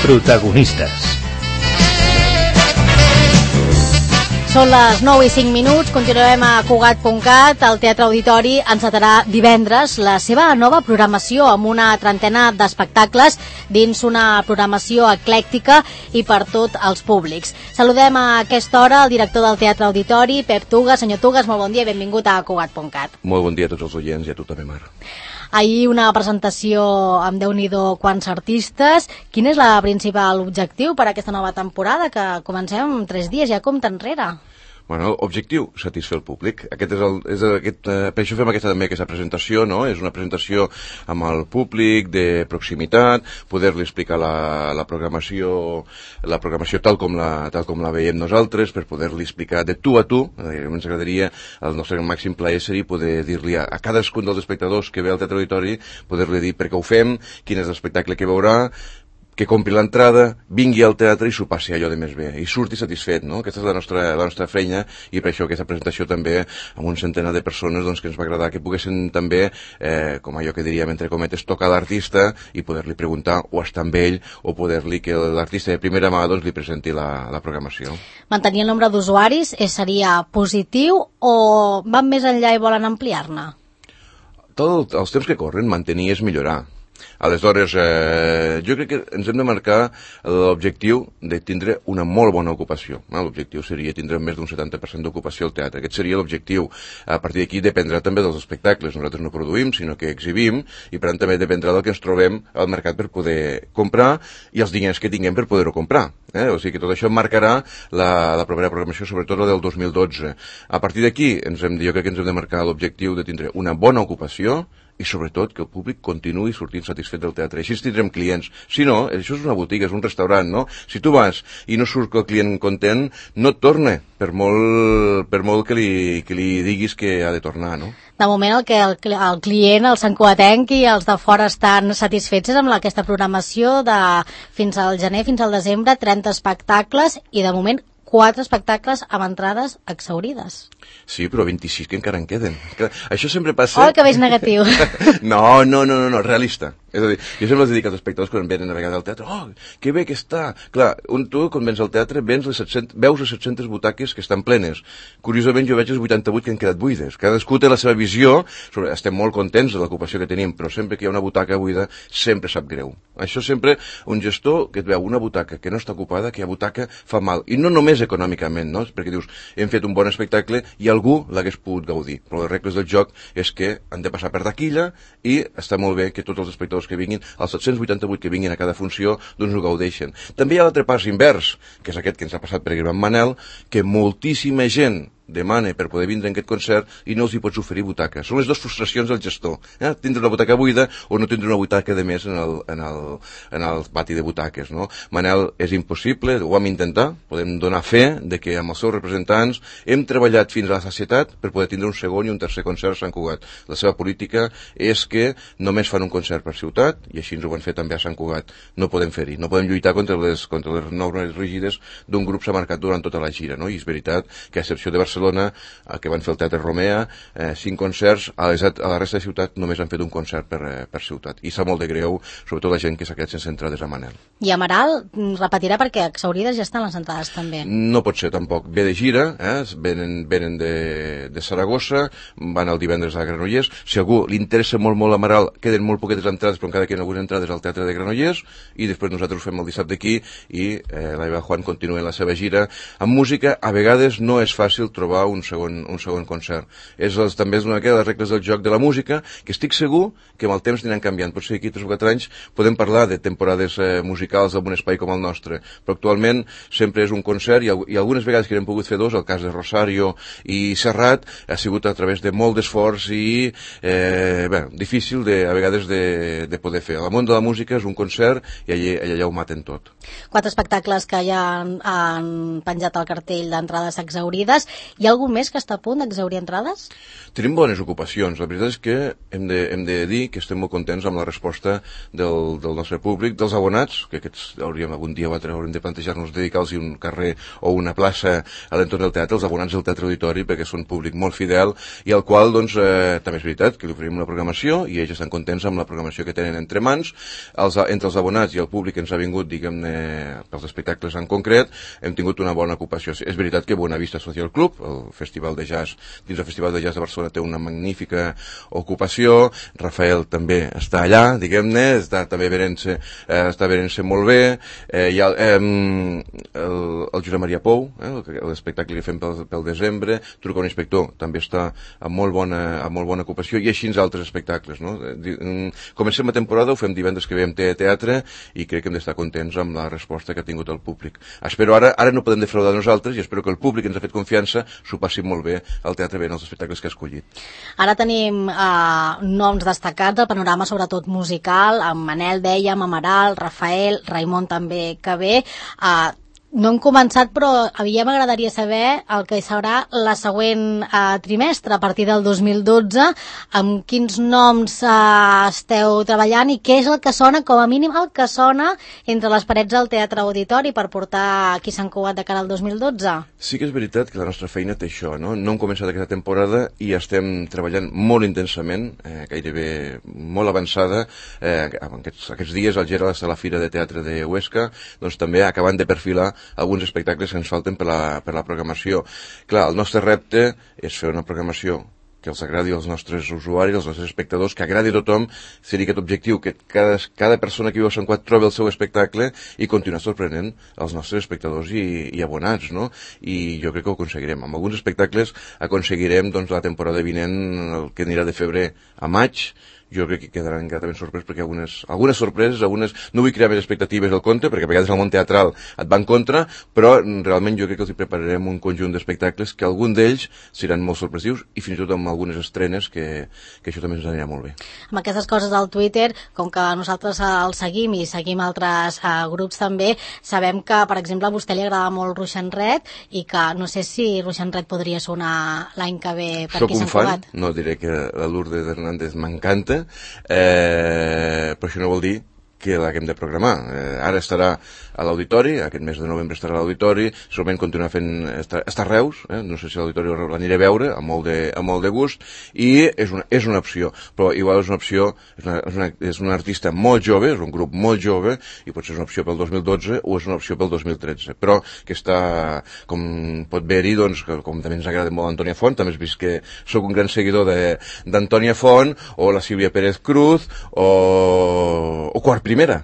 Protagonistes. Són les 9 i 5 minuts, continuem a Cugat.cat. El Teatre Auditori encetarà divendres la seva nova programació amb una trentena d'espectacles dins una programació eclèctica i per tots els públics. Saludem a aquesta hora el director del Teatre Auditori, Pep Tugas. Senyor Tugas, molt bon dia i benvingut a Cugat.cat. Molt bon dia a tots els oients i a tu també, Mar. Ahir una presentació amb Déu-n'hi-do quants artistes. Quin és el principal objectiu per a aquesta nova temporada, que comencem en 3 dies, ja compta enrere? Bueno, objectiu, satisfer el públic. Per això fem aquesta presentació, no? És una presentació amb el públic, de proximitat, poder-li explicar la programació tal com la veiem nosaltres, per poder-li explicar de tu a tu. Ens agradaria, el nostre màxim plaer seria poder dir-li a cadascun dels espectadors que ve al Teatre Auditori, poder-li dir per què ho fem, quin és l'espectacle que veurà, que compri l'entrada, vingui al teatre i s'ho passi allò de més bé, i surti satisfet, no? Aquesta és la nostra feina, i per això aquesta presentació també, amb un centenar de persones, doncs, que ens va agradar que poguessin també, com allò que diríem entre cometes, tocar l'artista i poder-li preguntar o estar amb ell, o poder-li que l'artista de primera mà doncs, li presenti la programació. Mantenir el nombre d'usuaris seria positiu o van més enllà i volen ampliar-ne? Tots els temps que corren, mantenir és millorar. Aleshores, jo crec que ens hem de marcar l'objectiu de tindre una molt bona ocupació. L'objectiu seria tindre més d'un 70% d'ocupació al teatre. Aquest seria l'objectiu. A partir d'aquí dependrà també dels espectacles. Nosaltres no produïm, sinó que exhibim, i per tant també dependrà del que ens trobem al mercat per poder comprar i els diners que tinguem per poder-ho comprar. O sigui que tot això marcarà la propera programació, sobretot la del 2012. A partir d'aquí, jo crec que ens hem de marcar l'objectiu de tindre una bona ocupació i sobretot que el públic continuï sortint satisfet del teatre. Així tindrem clients. Si no, això és una botiga, és un restaurant, no? Si tu vas i no surt el client content, no et torna, per molt que li diguis que ha de tornar, no? De moment el client, el santcugatenc i els de fora estan satisfets amb aquesta programació de fins al gener, fins al desembre, 30 espectacles i de moment 4 espectacles amb entrades exhaurides. Sí, però 26 que encara en queden. Això sempre passa... Oh, que veig negatiu. No, realista. És a dir, jo sempre els dic als espectadors quan venen a vegades al teatre, oh, que bé que està. Clar, tu quan vens al teatre veus les 700 butaques que estan plenes. Curiosament jo veig les 88 que han quedat buides. Cadascú té la seva visió, estem molt contents de l'ocupació que tenim, però sempre que hi ha una butaca buida sempre sap greu. Això sempre, un gestor que et veu una butaca que no està ocupada, que hi ha butaca, fa mal. I no només econòmicament, no? Perquè dius, hem fet un bon espectacle i algú l'hagués pogut gaudir. Però les regles del joc és que han de passar per taquilla i està molt bé que tots els espectadors que vinguin, els 788 que vinguin a cada funció, doncs ho gaudeixen. També hi ha l'altre pas invers, que és aquest que ens ha passat per Gran Manel, que moltíssima gent demana per poder vindre en aquest concert i no els hi pots oferir butaques. Són les dues frustracions del gestor. Tindre una butaca buida o no tindre una butaca de més en el pati de butaques. No? Manel, és impossible, ho vam intentar, podem donar fe de que amb els seus representants hem treballat fins a la sacietat per poder tindre un segon i un tercer concert a Sant Cugat. La seva política és que només fan un concert per ciutat i així ens ho van fer també a Sant Cugat. No podem fer-hi, no podem lluitar contra les normes rígides d'un grup s'ha marcat durant tota la gira. No? I és veritat que a excepció de Barcelona, que van fer el Teatre Romea, 5 concerts, a la resta de ciutat només han fet un concert per ciutat. I sap molt de greu, sobretot la gent que s'ha quedat sense entrades a Manel. I Amaral repetirà perquè exhaurides ja estan les entrades també. No pot ser tampoc. Ve de gira, venen de Saragossa, van el divendres a Granollers. Si a algú li interessa molt Amaral, queden molt poquetes entrades, però encara queden algunes entrades al Teatre de Granollers, i després nosaltres ho fem el dissabte aquí, i l'Eva Juan continua la seva gira. Amb música, a vegades no és fàcil trobar un segon concert. També és una de les regles del joc de la música, que estic segur que amb el temps aniran canviant. Potser aquí 3 o 4 anys podem parlar de temporades musicals d'un espai com el nostre, però actualment sempre és un concert i algunes vegades que hem pogut fer 2, el cas de Rosario i Serrat, ha sigut a través de molt d'esforç i difícil a vegades de poder fer. El món de la música és un concert i allà ho maten tot. 4 espectacles que ja han penjat al cartell d'entrades exhaurides Hi ha algú més que està a punt d'exhaurir entrades? Tenim bones ocupacions. La veritat és que hem de dir que estem molt contents amb la resposta del nostre públic, dels abonats, que aquests algun dia o altre haurem de plantejar-nos dedicar-los un carrer o una plaça a l'entorn del teatre, els abonats del Teatre Auditori, perquè són públic molt fidel i al qual, doncs, també és veritat que li oferim una programació i ells estan contents amb la programació que tenen entre mans. Entre els abonats i el públic que ens ha vingut, diguem-ne, pels espectacles en concret, hem tingut una bona ocupació. És veritat que Buenavista Social Club, el festival de jazz, dins el Festival de Jazz de Barcelona, té una magnífica ocupació. Rafael també està allà, diguem-ne, està venent-se molt bé. Hi ha el Josep Maria Pou, l'espectacle que fem pel desembre, Truca un inspector, també està amb molt bona ocupació, i així altres espectacles, no? Comencem la temporada, ho fem divendres que ve amb teatre, i crec que hem d'estar contents amb la resposta que ha tingut el públic. Espero ara no podem defraudar nosaltres, i espero que el públic que ens ha fet confiança s'ho passi molt bé al teatre veient els espectacles que ha escollit. Ara tenim noms destacats del panorama, sobretot musical, amb Manel, dèiem, Amaral, Rafael, Raimon també que ve. No hem començat, però a mi ja m'agradaria saber el que serà la següent trimestre, a partir del 2012, amb quins noms esteu treballant i què és el que sona, com a mínim el que sona entre les parets del Teatre Auditori per portar qui s'han cugat de cara al 2012. Sí que és veritat que la nostra feina té això, no? No hem començat aquesta temporada i estem treballant molt intensament, gairebé molt avançada. Aquests dies al Gerald està a la Fira de Teatre de Huesca, doncs també acabant de perfilar alguns espectacles que ens falten per la programació. Clar, el nostre repte és fer una programació que els agradi als nostres usuaris, als nostres espectadors, que agradi a tothom, seria aquest objectiu, que cada persona que viu a Sant Cugat trobi el seu espectacle i continuar sorprenent els nostres espectadors i abonats, no? I jo crec que ho aconseguirem. Amb alguns espectacles aconseguirem, doncs, la temporada vinent, el que anirà de febrer a maig. Jo crec que quedaran gratament sorpreses, perquè algunes sorpreses, no vull crear més expectatives del conte, perquè a vegades el món teatral et va en contra, però realment jo crec que els hi prepararem un conjunt d'espectacles que algun d'ells seran molt sorpresius i fins i tot amb algunes estrenes que això també ens anirà molt bé. Amb aquestes coses del Twitter, com que nosaltres el seguim i seguim altres grups també, sabem que, per exemple, a vostè li agrada molt Ruixen Red i que no sé si Ruixen Red podria sonar l'any que ve per aquí a Sant Cugat. Soc un fan, no diré que la Lourdes Hernández m'encanta, però això no vol dir que l'haguem de programar. Ara estarà a l'Auditori, aquest mes de novembre estarà a l'Auditori, segurament continuarà fent... Està a Reus, no sé si a l'Auditori l'aniré a veure, amb molt de gust, i és una opció, però igual és una opció, és un artista molt jove, és un grup molt jove, i potser és una opció pel 2012 o és una opció pel 2013, però que està, com pot veure-hi, doncs, com també ens agrada molt Antònia Font, també has vist que sóc un gran seguidor d'Antònia Font, o la Sílvia Pérez Cruz, o Quart Primera,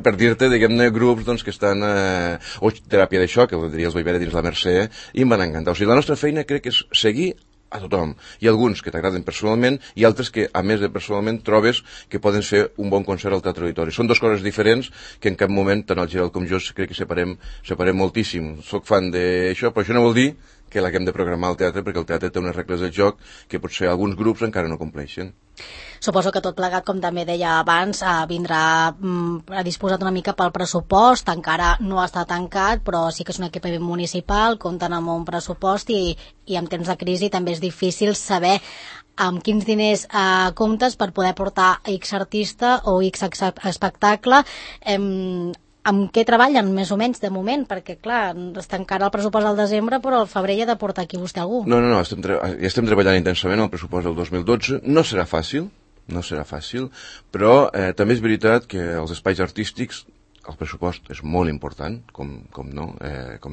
per dir-te, diguem-ne, grups doncs, que estan... o Teràpia de Xoc, que els vaig veure dins la Mercè, i em van encantar. O sigui, la nostra feina crec que és seguir a tothom. Hi ha alguns que t'agraden personalment i altres que, a més de personalment, trobes que poden fer un bon concert al Teatre Auditori. Són dues coses diferents que en cap moment, tant el Gerald com jo, crec que separem moltíssim. Soc fan d'això, però això no vol dir que l'haguem de programar al teatre, perquè el teatre té unes regles de joc que potser alguns grups encara no compleixen. Suposo que tot plegat, com també deia abans, vindrà disposat una mica pel pressupost, encara no està tancat, però sí que és un equipament municipal, compten amb un pressupost i en temps de crisi també és difícil saber amb quins diners comptes per poder portar X artista o X espectacle. Amb què treballen, més o menys, de moment? Perquè, clar, està encara el pressupost del desembre, però al febrer hi ha de portar aquí vostè algú. No, estem treballant intensament el pressupost del 2012. No serà fàcil, però també és veritat que els espais artístics, el pressupost és molt important, com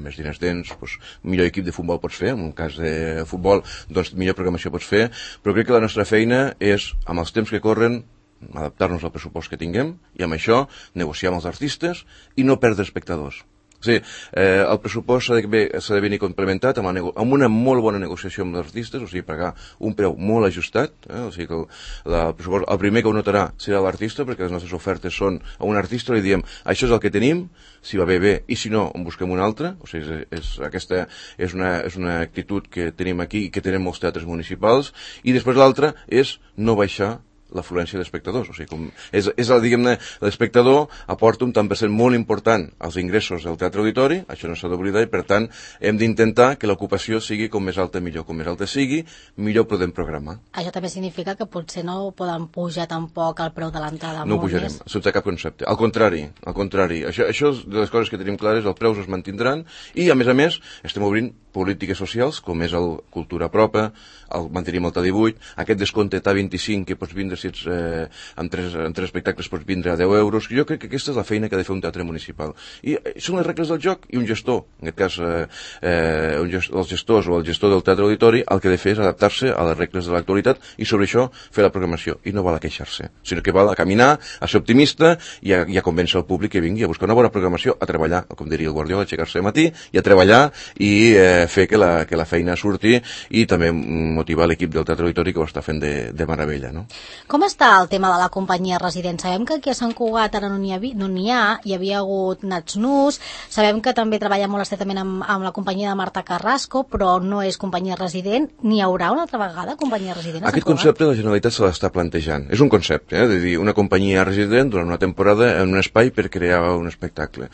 més diners tens, doncs, millor equip de futbol pots fer, en un cas de futbol, doncs millor programació pots fer, però crec que la nostra feina és, amb els temps que corren, adaptar-nos al pressupost que tinguem i amb això negociar amb els artistes i no perdre espectadors. O sigui, el pressupost s'ha de venir complementat amb una molt bona negociació amb els artistes, o sigui, pagar un preu molt ajustat, o sigui que el primer que ho notarà serà l'artista, perquè les nostres ofertes són a un artista, li diem, això és el que tenim, si va bé, i si no, en busquem un altre. O sigui, aquesta és una actitud que tenim aquí i que tenen molts teatres municipals, i després l'altra és no baixar l'afluència d'espectadors. O sigui, diguem-ne, l'espectador aporta un tant per cent molt important als ingressos del teatre auditori, això no s'ha d'oblidar, i per tant hem d'intentar que l'ocupació sigui com més alta millor. Com més alta sigui, millor podem programar. Això també significa que potser no poden pujar tampoc el preu de l'entrada. No pujarem, sense cap concepte. Al contrari. Això és de les coses que tenim clares, els preus es mantindran i, a més, estem obrint polítiques socials, com és el Cultura Propa, el mantenim el T18, aquest descompte T25 que pots vindre si ets amb tres espectacles pots vindre a 10 euros. Jo crec que aquesta és la feina que ha de fer un teatre municipal. I són les regles del joc i un gestor, en aquest cas els gestors o el gestor del teatre auditori, el que ha de fer és adaptar-se a les regles de l'actualitat i sobre això fer la programació. I no val a queixar-se, sinó que val a caminar, a ser optimista i a convèncer el públic que vingui a buscar una bona programació, a treballar, com diria el Guardiola, aixecar-se al matí i a treballar i fer que la feina surti i també motivar l'equip del teatre auditori que ho està fent de meravella, no? Com està el tema de la companyia resident? Sabem que aquí a Sant Cugat ara no n'hi ha, hi havia hagut Nats Nus, sabem que també treballa molt estretament amb la companyia de Marta Carrasco, però no és companyia resident. N'hi haurà una altra vegada companyia resident a Sant Cugat? Aquest concepte la Generalitat se l'està plantejant. És un concepte, de dir una companyia resident durant una temporada en un espai per crear un espectacle.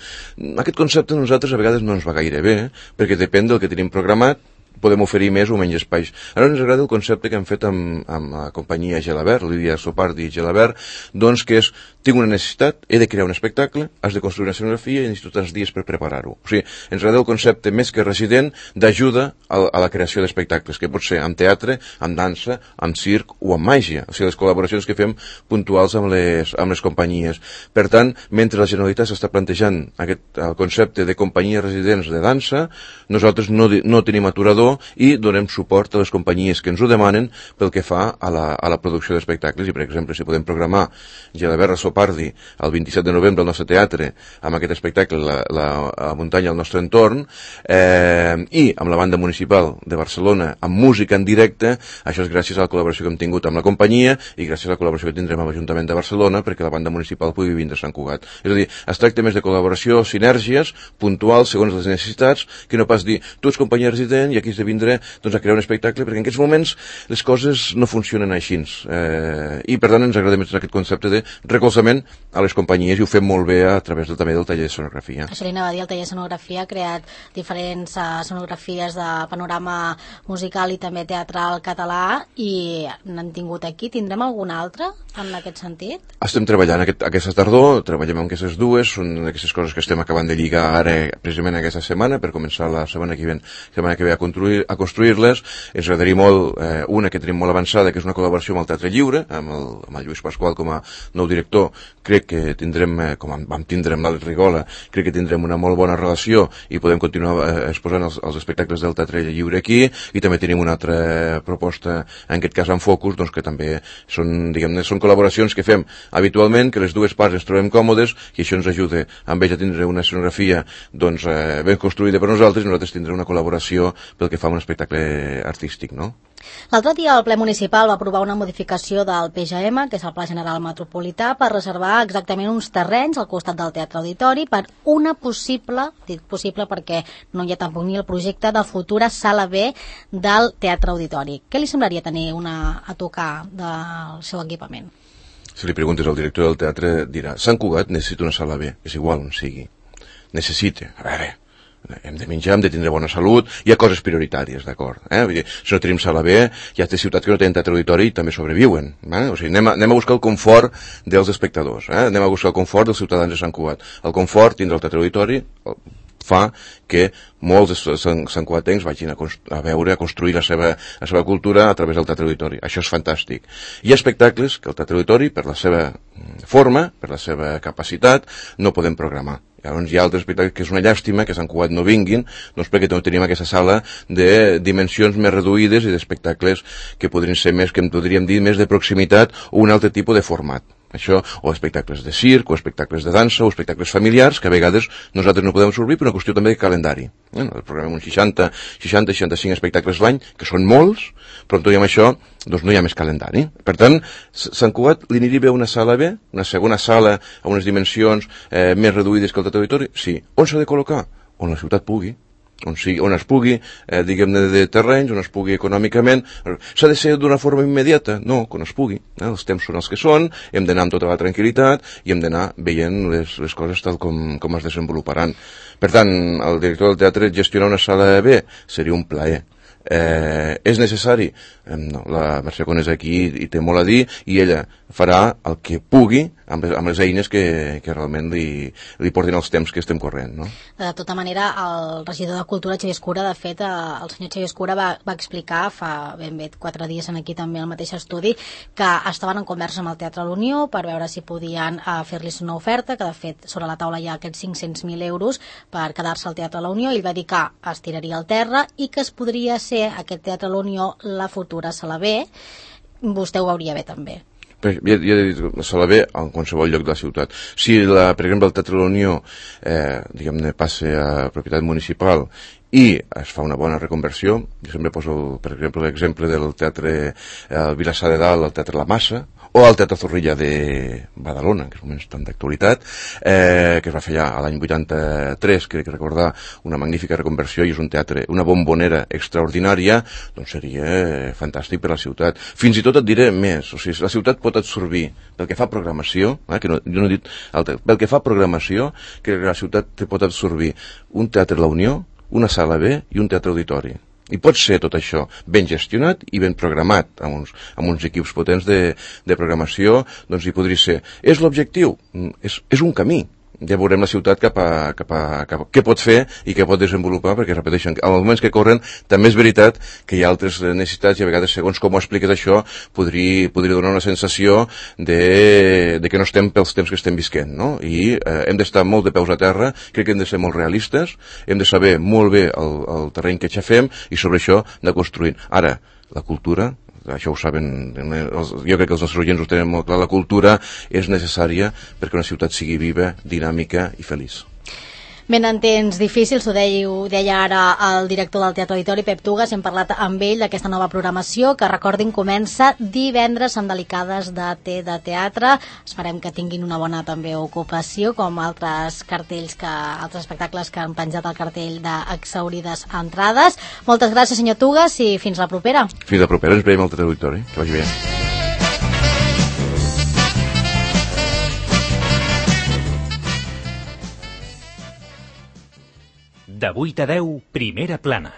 Aquest concepte a nosaltres a vegades no ens va gaire bé, perquè depèn del que tenim programat, podem oferir més o menys espais. Ara ens agrada el concepte que hem fet amb la companyia Gelabert, Lídia Sopardi i Gelabert, doncs que és, tinc una necessitat, he de crear un espectacle, has de construir una escenografia i necessito tants dies per preparar-ho. O sigui, ens agrada el concepte més que resident d'ajuda a la creació d'espectacles, que pot ser amb teatre, amb dansa, amb circ o amb màgia. O sigui, les col·laboracions que fem puntuals amb les companyies. Per tant, mentre la Generalitat s'està plantejant el concepte de companyies residents de dansa, nosaltres no tenim aturador i donem suport a les companyies que ens ho demanen pel que fa a la producció d'espectacles. I, per exemple, si podem programar Gelabert Sopardi el 27 de novembre al nostre teatre amb aquest espectacle, la muntanya al nostre entorn, i amb la banda municipal de Barcelona amb música en directe, això és gràcies a la col·laboració que hem tingut amb la companyia i gràcies a la col·laboració que tindrem amb l'Ajuntament de Barcelona perquè la banda municipal pugui vindre a Sant Cugat. És a dir, es tracta més de col·laboració, sinergies puntuals segons les necessitats, que no pas dir tu ets companyia resident i aquí has de vindre a crear un espectacle, perquè en aquests moments les coses no funcionen així. I per tant ens agrada més aquest concepte de recolzament a les companyies i ho fem molt bé a través també del taller de sonografia. Això li anava a dir, el taller de sonografia ha creat diferents sonografies de panorama musical i també teatral català i n'han tingut aquí. Tindrem alguna altra en aquest sentit? Estem treballant aquesta tardor, treballem amb aquestes dues, són aquestes coses que estem acabant de lligar ara precisament aquesta setmana per començar la setmana que ve a construir-les. Ens agradaria molt una que tenim molt avançada, que és una col·laboració amb el Teatre Lliure, amb el Lluís Pasqual com a nou director. Crec que tindrem, com vam tindre amb l'Àlex Rigola, crec que tindrem una molt bona relació i podem continuar exposant els espectacles del Teatre Lliure aquí, i també tenim una altra proposta, en aquest cas amb Focus, doncs que també són col·laboracions que fem habitualment, que les dues parts ens trobem còmodes i això ens ajuda amb ells a tindre una escenografia ben construïda per nosaltres i nosaltres tindrem una col·laboració pel que fa a un espectacle artístic, no? L'altre dia el ple municipal va aprovar una modificació del PGM, que és el Pla General Metropolità, per reservar exactament uns terrenys al costat del Teatre Auditori per una possible, dic possible perquè no hi ha tampoc ni el projecte, de futura sala B del Teatre Auditori. Què li semblaria tenir a tocar del seu equipament? Si li preguntes al director del teatre dirà, Sant Cugat necessita una sala B, és igual on sigui. Necessita, a veure, hem de menjar, hem de tindre bona salut, hi ha coses prioritàries, d'acord? Vull dir, si no tenim sala B, hi ha ciutats que no tenen teatre auditori i també sobreviuen. O sigui, anem a buscar el confort dels espectadors, anem a buscar el confort dels ciutadans de Sant Cugat. El confort, tindre el teatre auditori, fa que molts santcugatencs vagin a veure, a construir la seva cultura a través del teatre auditori. Això és fantàstic. Hi ha espectacles que el teatre auditori, per la seva forma, per la seva capacitat, no podem programar. Llavors hi ha altres espectacles que és una llàstima que a Sant Cugat no vinguin, doncs perquè no tenim aquesta sala de dimensions més reduïdes i d'espectacles que podrien ser més, que en podríem dir, més de proximitat o un altre tipus de format. Això, o espectacles de circ, o espectacles de dansa, o espectacles familiars, que a vegades nosaltres no podem absorbir per una qüestió també de calendari. Programem uns 60-65 espectacles l'any, que són molts, però tot i amb això doncs no hi ha més calendari. Per tant, Sant Cugat li aniria bé una sala B, una segona sala a unes dimensions més reduïdes que el teatre auditori? Sí. On s'ha de col·locar? On la ciutat pugui. on es pugui, diguem-ne, de terrenys, on es pugui econòmicament. S'ha de ser d'una forma immediata? No, quan es pugui. Els temps són els que són, hem d'anar amb tota la tranquil·litat i hem d'anar veient les coses tal com es desenvoluparan. Per tant, el director del teatre gestionar una sala B seria un plaer. És necessari? No, la Mercè Conés aquí hi té molt a dir i ella farà el que pugui amb les eines que realment li portin els temps que estem corrent, no? De tota manera, el regidor de Cultura, Xavier Escura, de fet, el senyor Xavier Escura va explicar fa ben bé 4 dies aquí també al mateix estudi que estaven en conversa amb el Teatre La Unió per veure si podien fer-los una oferta, que de fet sobre la taula hi ha aquests 500.000 euros per quedar-se al Teatre La Unió, i ell va dir que es tiraria al terra i que es podria ser aquest Teatre La Unió la futura sala B. Vostè ho veuria bé també. Ja he dit, la sala B en qualsevol lloc de la ciutat. Si, per exemple, el Teatre de la Unió diguem-ne, passa a propietat municipal i es fa una bona reconversió, jo sempre poso, per exemple, l'exemple del Teatre Vilassar de Dalt, el Teatre La Massa, o el Teatre Zorrilla de Badalona, que és un moment tan d'actualitat, que es va fer ja a l'any 83, crec recordar, una magnífica reconversió, i és un teatre, una bombonera extraordinària, doncs seria fantàstic per a la ciutat. Fins i tot et diré més, o sigui, la ciutat pot absorbir, pel que fa programació, que no, jo no he dit pel que fa programació, que la ciutat pot absorbir un Teatre La Unió, una sala B i un teatre auditori. I pot ser tot això ben gestionat i ben programat, amb uns equips potents de programació, doncs hi podria ser. És l'objectiu? És un camí. Ja veurem la ciutat cap a què pot fer i què pot desenvolupar, perquè, repeteixen, en els moments que corren també és veritat que hi ha altres necessitats i a vegades, segons com ho expliques això, podria donar una sensació de que no estem pels temps que estem visquent, no? I hem d'estar molt de peus a terra, crec que hem de ser molt realistes, hem de saber molt bé el terreny que aixafem i sobre això de construir. Ara, la cultura, això ho saben, jo crec que els nostres oients ho tenen molt clar, la cultura és necessària perquè una ciutat sigui viva, dinàmica i feliç. Ben, en temps difícils, ho deia ara el director del Teatre Auditori, Pep Tugas, hem parlat amb ell d'aquesta nova programació que, recordin, comença divendres amb delicades de teatre. Esperem que tinguin una bona també ocupació, com altres espectacles que han penjat al cartell d'exhaurides entrades. Moltes gràcies, senyor Tugas, i fins la propera. Fins la propera, ens veiem al Teatre Auditori. Que vagi bé. De 8 a 10, Primera Plana.